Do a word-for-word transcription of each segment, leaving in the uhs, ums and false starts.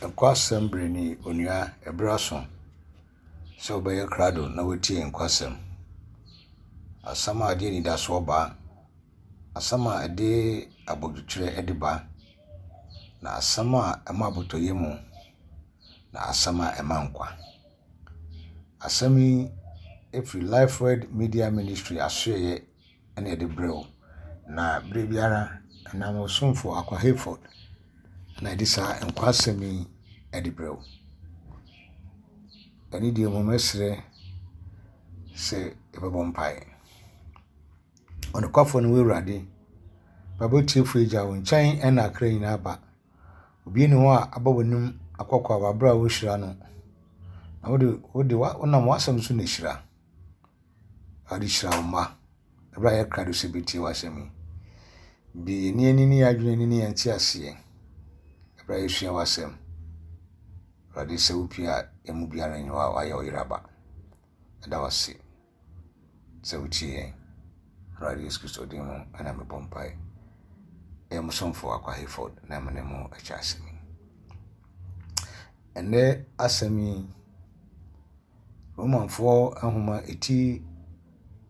Nkwasɛm bere ni, onua, ɛberɛ aso sɛ wobɛyɛ krado na woatie nkwasɛm. Asɛm a ɛde anidasoɔ ba, asɛm a ɛde abodwokyerɛ de ba, na asɛm a ɛma abotɔyɛ mu, na asɛm a ɛma nkwa. Asɛm yi firi Life Word Media Ministry asoɛeɛ na ɛde brɛ wo. Na berɛ biara, ɛnam ɔsomfo Akwa Hayford na ɛde saa nkwa asɛm yi de brɛ wo. Ɛne deɛ mu mɛsrɛ sɛ yɛbɛbɔ mpaeɛ. Ɔnokwafoɔ ne wo Awurade, mpaebɔ tiefo agya wo nkyɛn ɛna akra nyinaa ba. Obi nni hɔ a aba w'anim akɔkɔ a wabrɛ a wohyira no. Na wode wode wonam w'asɛm so na ehyira. Awurade hyira wo mma. Ɛberɛ a yɛkra do sɛ bɛtie w'asɛm yi. Bi yɛn ani ne yɛn adwene ne yɛn nteaseɛ. Ɛberɛ a yɛsua w'asɛm. Awurade sɛ wopie a yɛn mu biara nni hɔ a wayɛ ɔyere aba. Ɛda wo ase sɛ wotie yɛn. Awurade Yesu Kristo din mu ɛna mebɔ mpae. Ɛyɛ mo somfo Akwa Hayford na me ne mo akyɛ asɛm yi. Ɛnnɛ asɛm yi, Romanfoɔ nhoma eti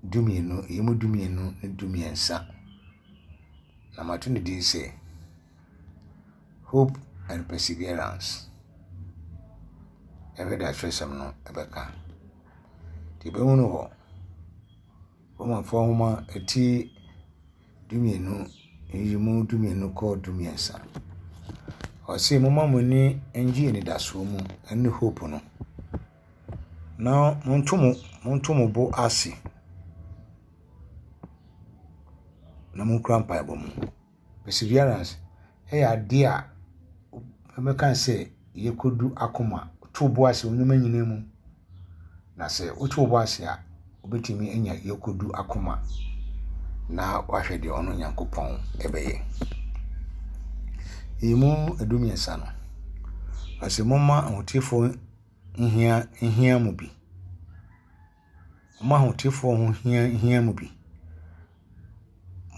dumienu, ɛyi mu dumienu ne dumiɛnsa. Na mato ne din sɛ Hope and Perseverance. Ɛhwɛ de atwerɛsɛm no ɛbɛka. Nti yɛbɛhu no wɔ Romanfoɔ nhoma eti dumienu, nyiyimu dumienu kɔ dumiɛnsa. Ɔse momma mo ani ngye anidasoɔ mu ne hope no. Na monto mo monto mo bo ase na monkura mpaebɔ mu. Perseverance ɛyɛ adeɛ a ɛbɛka sɛ yɛkɔdu akoma to bo ase wɔ nneɛma nyinaa mu. Na sɛ woto wo bo ase a, wobɛtumi anya yɛkɔdu akoma na wahwɛ deɛ ɔno Nyankopɔn ɛbɛyɛ. Emu edumiɛnsa no, ɔse momma ahotefoɔ nhia nhia mo bi. Momma ahotefoɔ ho hia hia mo bi.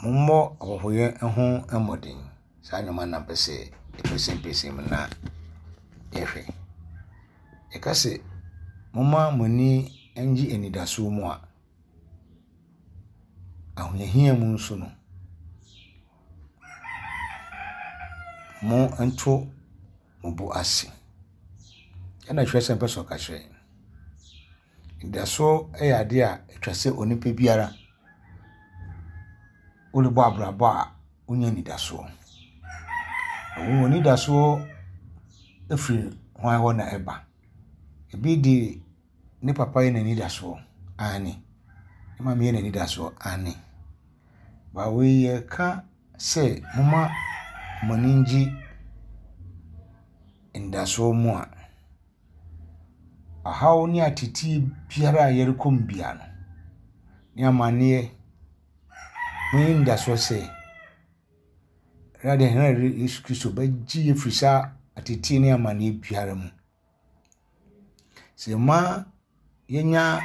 Mommɔ ahɔhoyɛ ho mmɔden. Saa nneɛma na mpɛ sɛ yɛpɛsɛmpɛsɛm mu na yɛhwɛ. Yɛka sɛ momma mo ani ngye anidasoɔ mu a, ahohiahia mu nso no, mo nto mo bo ase. Ɛna twerɛsɛm pɛ sɛ ɔka kyerɛ yɛn. Anidasoɔ yɛ adeɛ a atwa sɛ onipa biara worebɔ abrabɔ a wonya anidasoɔ. Na wɔn anidasoɔ firi hwan hɔ na ɛba. Ebi de ne papa yɛ n'anidasoɔ, aane. Ne maame yɛ n'anidasoɔ, aane. Ba wei yɛka sɛ momma mo ani ngye anidasoɔ mu a, ɔhaw ne ateetee biara a yɛrekɔ mu biara no, ne amanneɛ, monyɛ anidasoɔ sɛ Awurade yɛn Awurade Yesu Kristo bɛgye yɛn firi saa ateetee ne amanneɛ biara mu. Sɛ mma yɛnya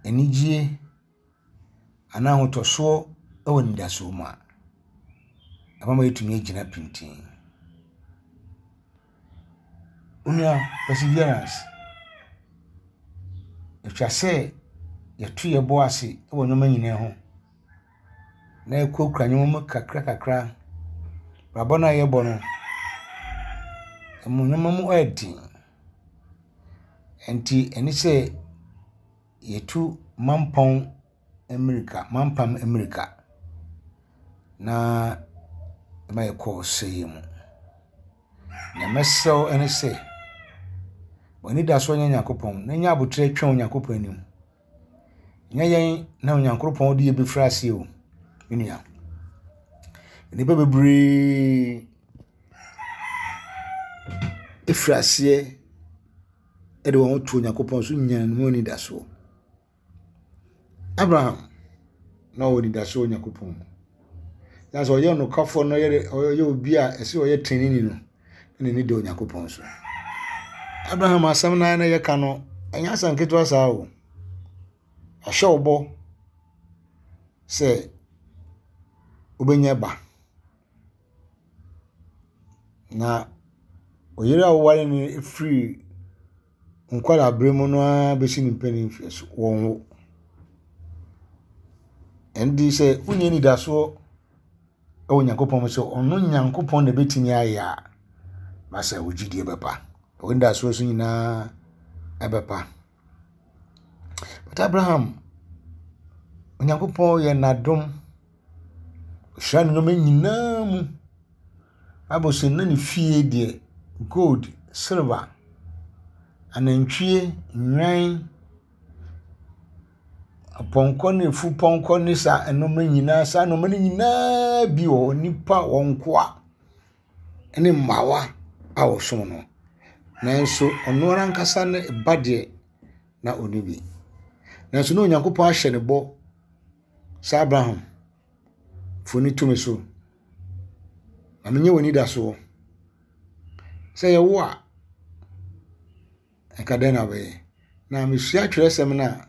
anigye anaa ahotɔsoɔ wɔ anidasoɔ mu a, ɛbɛma yɛatumi agyina pintinn. Onua, perseverance. Atwa sɛ yɛto yɛn bo ase wɔ nneɛma nyinaa ho na yɛkurakura nneɛma mu kakra kakra. Abrabɔ no a yɛbɔ no, ɛmu nneɛma mu yɛ den. Nti ɛne sɛ yɛtu mampɔn mmirika, mampam mmirika na ɛma yɛkɔ ɔsɛeɛ mu. Nea mɛsrɛ wo ne sɛ, w'anidasoɔ nyɛ Nyankopɔn na nya abotire twɛn Onyankopɔn anim. Nyɛ yɛn na Onyankopɔn de yɛn bɛfiri aseɛ o, me nua. Nnipa bebree efiri aseɛ de wɔn ho to Onyankopɔn so nya ne mu anidasoɔ. Abraham na ɔwɔ anidasoɔ wɔ Onyankopɔn mu. Na sɛ ɔyɛ nokwafoɔ na ɔyɛ ɔyɛ obi a ɛsɛ ɔyɛ teneneeni no, na n'ani da Onyankopɔn so. Abraham asɛm no ara na yɛka no, ɛnyɛ asɛm ketewa saa o. Ɔhyɛ wo bɔ sɛ wobɛnya ba. Na Ɔyere a woware no firi nkwadaa mu no ara bɛsi ne mpanin mfeɛ so, wɔnwo. Ɛnde sɛ wonni anidasoɔ wɔ Onyankopɔn mu sɛ ɔno Nyankopɔn na ɛbɛtumi ayɛ a, ma sɛ wo gyidie bɛpa. Wo anidasoɔ so nyinaa ɛbɛpa. But Abraham, Onyankopɔn yɛ n'adom. Ɔhyira ne nneɛma nyinaa mu. Bible sɛ na ne fie deɛ gold, silver, anantwie, nnwan, apɔnkɔ ne efupɔnkɔ ne saa nneɛma nyinaa saa nneɛma no nyinaa bi wɔ hɔ. Nnipa wɔn nkoa ne mmawa a wɔsom no. Nanso ɔno ara ankasa ne ba deɛ na ɔnni bi. Nanso na Onyankopɔn ahyɛ ne bɔ sɛ Abraham, fa w'ani to me so na menyɛ w'anidasoɔ. Sɛ yɛwo a, nka dɛn na wobɛyɛ? Na mesua twerɛsɛm no a,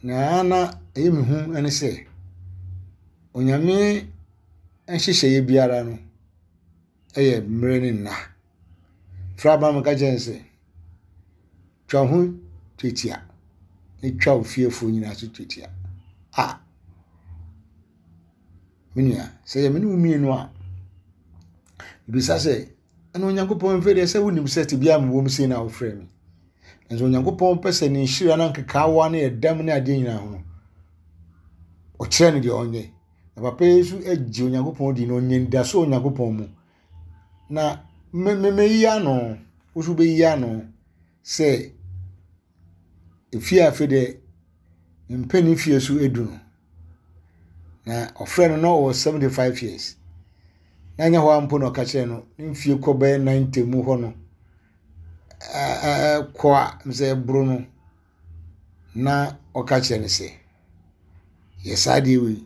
nea na ɛyɛ me hu ne sɛ, Onyame nhyehyɛeɛ biara no yɛ mmerɛ ne nna. Frɛ Abraham ka kyerɛ no sɛ, twa wo ho twetia na twa wo fiefoɔ nyinaa so twetia. A me nua, sɛ yɛ me ne wo mmienu a, bisa sɛ, ɛna Onyankopɔn mfɛ deɛ sɛ wonim sɛ tebea a mewɔ mu sei na wofrɛ me. Nanso Onyankopɔn pɛ sɛ ne nhyira no nkekaawa ne ɛdam ne adeɛ nyinaa ho no, ɔkyerɛ no deɛ ɔnyɛ. Na papa yi nso agye Onyankopɔn di na ɔnya anidasoɔ wɔ Onyankopɔn mu. Na me me meyi ano, wo nso wobɛyi ano sɛ efie a afei deɛ mpanin fie so edu no. Na ɔfrɛ no na ɔwɔ seventy five years. Na nyɛ hɔ ara mpo na ɔka kyerɛ no, ne mfie kɔ bɛyɛ ninety mu hɔ no, ɛɛ kɔ a sɛ ɛboro no, na ɔka kyerɛ no sɛ, yɛ saa adeɛ wei.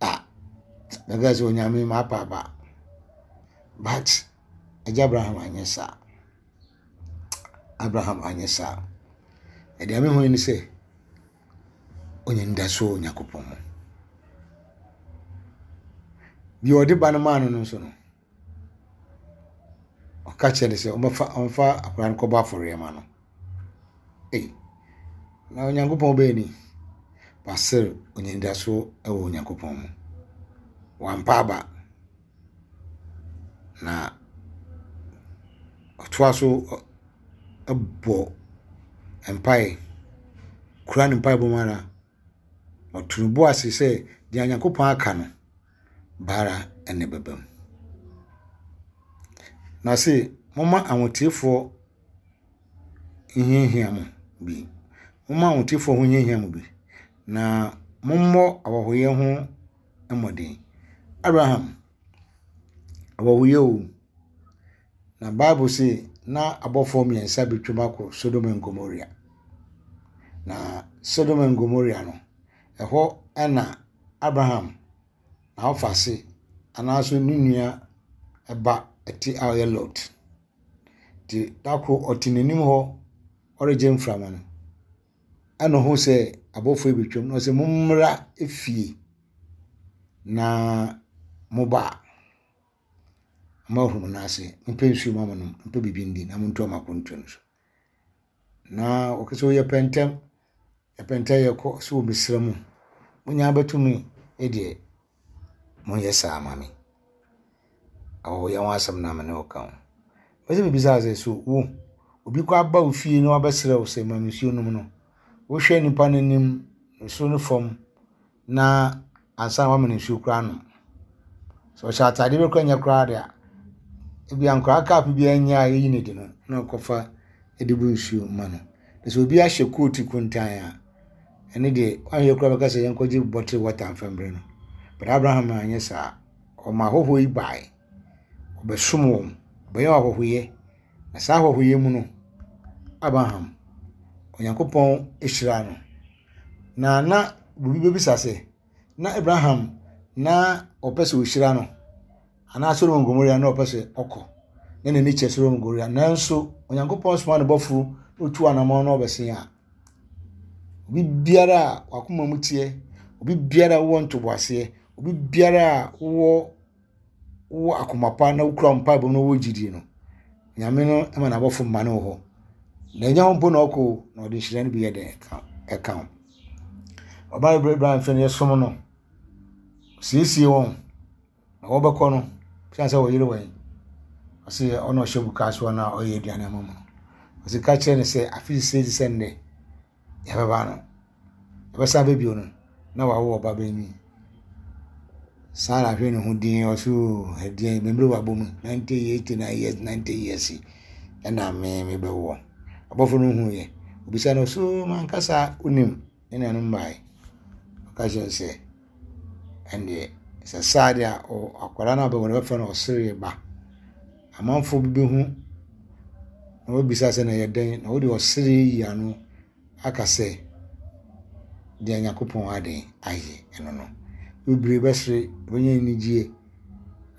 A bɛka sɛ Onyame mapa aba. But agya Abraham anyɛ saa. Abraham anyɛ saa. Ɛdeɛ mehu ne sɛ, ɔnya anidasoɔ wɔ Onyankopɔn mu. Deɛ ɔde ba no maa no no nso no, ɔka kyerɛ no sɛ ɔmmɛfa ɔmfa akwadaa no kɔbɔ afɔreɛ ma no. Ei, na Onyankopɔn bɛyɛ ni. Basere ɔnya anidasoɔ wɔ Onyankopɔn mu. Wampa aba. Na ɔtoa so bɔ mpaeɛ, kura ne mpaebɔ mu ara. Ɔto ne bo ase sɛ deɛ Onyankopɔn aka no, baara na ɛbɛba mu. Na se momma ahoteefoɔ nhiahia mo bi. Momma ahoteefoɔ ho nhiahia mo bi. Na mommɔ ahɔhoyɛ ho mmɔden. Abraham, ahɔhoyɛ o. Na Bible se na abɔfoɔ mmiɛnsa betwam akɔ Sodom and Gomorrah. Na Sodom and Gomorrah no, ɛhɔ ɛna Abraham n'awofase anaasɛ ne nua ba ɛte a ɔyɛ Lot. Nti da koro ɔte n'anim hɔ ɔregye mframa no, ɛna ohuu sɛ abɔfoɔ yi betwam na ɔsɛ mommra efie na moba a, moahuru mo nan ase, mompɛ nsuo ma monom, mompɛ biribi ndi na montoa mo akwantuo no so. Na ɔka sɛ yɛpɛ ntɛm, yɛpɛ ntɛm yɛkɔ so wɔ mesrɛ mu. Mo nyinaa bɛtumi deɛ monyɛ saa ma me. Ahɔhoyɛ ho asɛm na me ne wo ka ho. Mepɛ sɛ mebisa sɛ so wo obi kɔ aba wo fie na wabɛsrɛ wo sɛ ma me nsuo nom no, wohwɛ nipa no anim, soro ne fam na ansa na wama no nsuo koraa anom. Sɛ ɔhyɛ atadeɛ bi koraa nyɛ koraa deɛ a, ebia nkwadaa cup bi anya a yɛyi no di no na ɔkɔfa de bu nsuo ma no. Na sɛ obi ahyɛ coat kuntan a, ɛno deɛ woanhwɛ koraa bɛka sɛ yɛnkɔgye bottle water mfa mbrɛ no. But Abraham anyɛ saa. Ɔma ahɔhoɔ yi baeɛ. Ɔbɛsom wɔn. Ɔbɛyɛ wɔn ahɔhoyɛ. Na saa ahɔhoyɛ mu no, Abraham, Onyankopɔn hyiraa no. Na na obi bɛbisa sɛ, na Abraham na ɔpɛ sɛ ɔhyira no anaa Sodom and Gomorrah na ɔpɛ sɛ ɔkɔ na n'ani kyerɛ Sodom and Gomorrah nanso Onyankopɔn soma ne bɔfo na otu anammɔn na ɔbɛsen a obi biara a wakoma mu teɛ obi biara a wowɔ ntoboaseɛ obi biara a wowɔ wowɔ akoma pa na wokura mpaebɔ na wowɔ gyidie no, Nyame no ma n'abɔfo ma no wɔ hɔ. Na ɛnyɛ hɔ mpo na ɔkɔ o, na ɔde nhyira no bi yɛ dɛn ɛka ho. Ɔbaa bebree bra mfe no yɛsom no, siesie wɔn na wɔbɛkɔ no, siane sɛ wɔyere wɔn. Ɔse ɔna ɔhyɛ buka so na ɔyɛ aduane ama mu no. Ɔse ka kyerɛ no sɛ afe sese te sɛ nnɛ yɛbɛba no, yɛbɛsan aba bio no na wawo ɔba banyin. Sarah hwɛ ne ho dinn ɔse oo ɛdeɛn me mmerɛ wabɔ mu ninety years eighty nine years ninety years yi ɛna me mebɛwoɔ. Ɔbɔfo no huiɛ, obisa no ɔse oo mankasa wonim ne nuanom baeɛ. Ɔka kyerɛ no sɛ ɛndeɛ sɛ saa deɛ a akwadaa no a ɔbɛwo no bɛfrɛ no ɔsereɛ ba. Amanfoɔ bi bɛhu na wɔbɛbisa sɛ na ɛyɛ dɛn na wode ɔsereɛ yi ano aka sɛ deɛ Nyankopɔn aden ayɛ ɛno no. Bebree bɛsere, bɛnya anigyeɛ.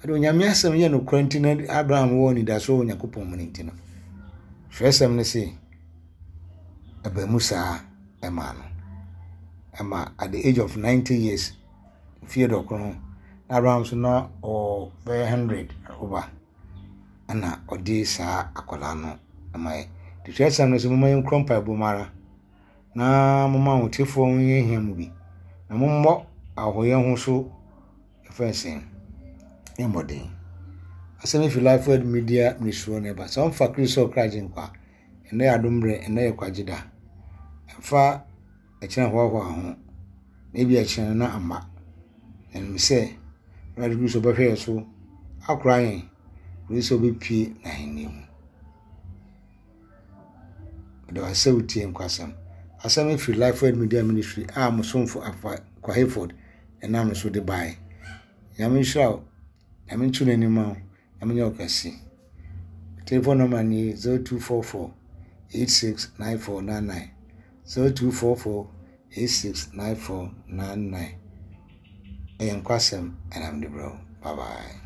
Ɛde Onyame asɛm yɛ nokorɛ nti na Abraham wɔ anidasoɔ wɔ Nyankopɔn mu no nti no, twerɛsɛm no se ɛbaa mu saa ɛmaa no. Ɛma at the age of ninety years, mfeɛ dɔkono, na Abraham nso na ɔwɔ bɛyɛ hundred over ɛna ɔde saa akwadaa no ɛmaeɛ. Nti twerɛsɛm no se momma yɛnkura mpaebɔ mu ara na momma ahotefoɔ ho nhia mu bi na mommɔ ahɔhoyɛ ho so ɛfɛn sɛn mmɔden. Asɛm yi fi Life Word Media Ministry na ɛba. Sɛ ɔmfa Kristo ɔkra agye nkwa, ɛnnɛ yɛ adom berɛ, ɛnnɛ yɛ kwagye da. Ɛmfa ɛkyerɛ hoahoa ho, na ebi ɛkyerɛ no na amma. Ɛnim sɛ Awurade Kristo bɛhwɛ yɛn so akora yɛn, kɔsi sɛ ɔbɛpue n'ahenni mu. Meda wo ase sɛ wotie nkwasɛm. Asɛm yi firi Life Word Media Ministry a mo somfo Afa Kwaheford ɛnam no so de baeɛ. Nyame nhyira wo, Nyame nto n'anim ma wo, Nyame nyɛ wo kɛse. Telephone number ni zero two four four eight six nine four nine nine zero two four four eight six nine four nine nine. Ɛyɛ nkwasɛm ɛna mede brɛ wo. Bye bye.